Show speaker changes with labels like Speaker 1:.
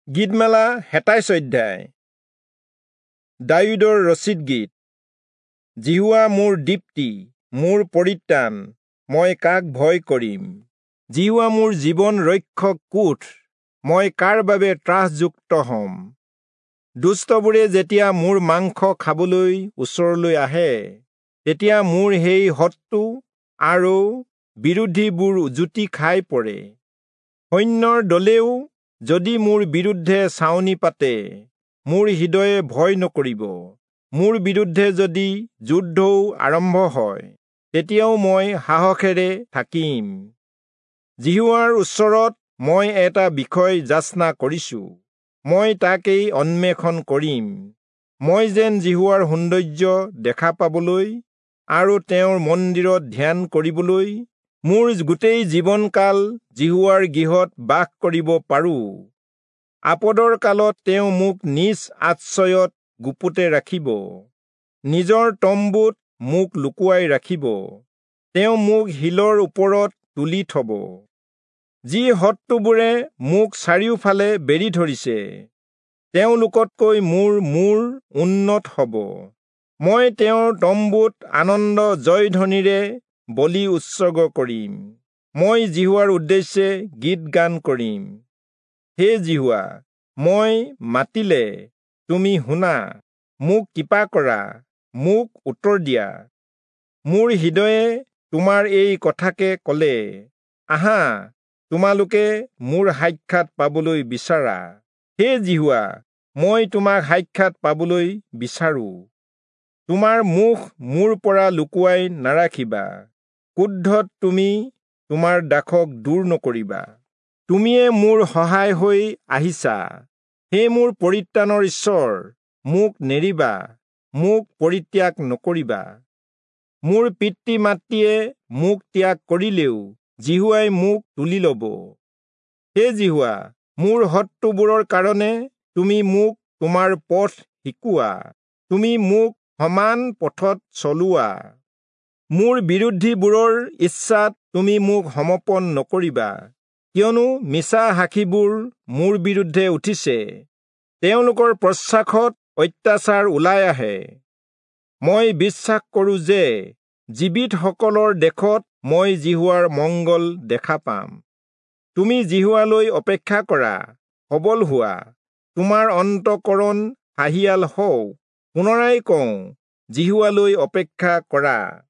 Speaker 1: গীতমালা 27 অধ্যায়। দায়ূদৰ ৰচিত গীত। যিহোৱা মোৰ দীপ্তি, মোৰ পৰিত্ৰাণ, মই কাক ভয় কৰিম? যিহোৱা মোৰ জীৱন ৰক্ষক কোঠ, মই কাৰ বাবে ত্ৰাসযুক্ত হ'ম? দুষ্টবোৰে যেতিয়া মোৰ মাংস খাবলৈ ওচৰলৈ আহে, তেতিয়া মোৰ সেই শত্ৰু আৰু বিৰোধীবোৰ জুতি খাই পৰে। সৈন্যৰ দলেও যদি মোৰ বিৰুদ্ধে ছাউনি পাতে, মোৰ হৃদয়ে ভয় নকৰিব। মোৰ বিৰুদ্ধে যদি যুদ্ধও আৰম্ভ হয়, তেতিয়াও মই সাহসেৰে থাকিম। যিহোৱাৰ ওচৰত মই এটা বিষয় যাচনা কৰিছো, মই তাকেই অন্বেষণ কৰিম। মই যেন যিহোৱাৰ সৌন্দৰ্য দেখা পাবলৈ আৰু তেওঁৰ মন্দিৰত ধ্যান কৰিবলৈ মোৰ গোটেই জীৱনকাল যিহোৱাৰ গৃহত বাস কৰিব পাৰোঁ। আপদৰ কালত তেওঁ মোক নিজ আশ্ৰয়ত গুপুতে ৰাখিব, নিজৰ তম্বুত মোক লুকুৱাই ৰাখিব। তেওঁ মোক শিলৰ ওপৰত তুলি থব। যি শত্ৰুবোৰে মোক চাৰিওফালে বেৰি ধৰিছে, তেওঁলোকতকৈ মোৰ মূৰ উন্নত হ'ব। মই তেওঁৰ তম্বুত আনন্দ জয়ধ্বনিৰে বলি উৎসৰ্গ কৰিম। মই যিহোৱাৰ উদ্দেশ্যে গীত গান কৰিম। হে যিহোৱা, মই মাতিলে তুমি শুনা, মোক কৃপা কৰা, মোক উত্তৰ দিয়া। মোৰ হৃদয়ে তোমাৰ এই কথাকে ক'লে, আহা, তোমালোকে মোৰ সাক্ষাৎ পাবলৈ বিচাৰা। হে যিহোৱা, মই তোমাক সাক্ষাৎ পাবলৈ বিচাৰোঁ। তোমাৰ মুখ মোৰ পৰা লুকুৱাই নাৰাখিবা। ক্ৰোধত তুমি তোমাৰ দাসক দূৰ নকৰিবা। তুমিয়ে মোৰ সহায় হৈ আহিছা। হে মোৰ পৰিত্ৰাণৰ ঈশ্বৰ, মোক নেৰিবা, মোক পৰিত্যাগ নকৰিবা। মোৰ পিতৃ মাতৃয়ে মোক ত্যাগ কৰিলেও যিহোৱাই মোক তুলি ল'ব। হে যিহোৱা, মোৰ শত্ৰুবোৰৰ কাৰণে তুমি মোক তোমাৰ পথ শিকোৱা, তুমি মোক সমান পথত চলোৱা। মোৰ বিৰোধীবোৰৰ ইচ্ছাত তুমি মোক সমৰ্পণ নকৰিবা, কিয়নো মিছা সাক্ষীবোৰ মোৰ বিৰুদ্ধে উঠিছে, তেওঁলোকৰ প্ৰশ্বাসত অত্যাচাৰ ওলাই আহে। মই বিশ্বাস কৰোঁ যে জীৱিতসকলৰ দেশত মই যিহোৱাৰ মংগল দেখা পাম। তুমি যিহোৱালৈ অপেক্ষা কৰা, সবল হোৱা, তোমাৰ অন্তঃকৰণ সাহিয়াল হওক। পুনৰাই কওঁ, যিহোৱালৈ অপেক্ষা কৰা।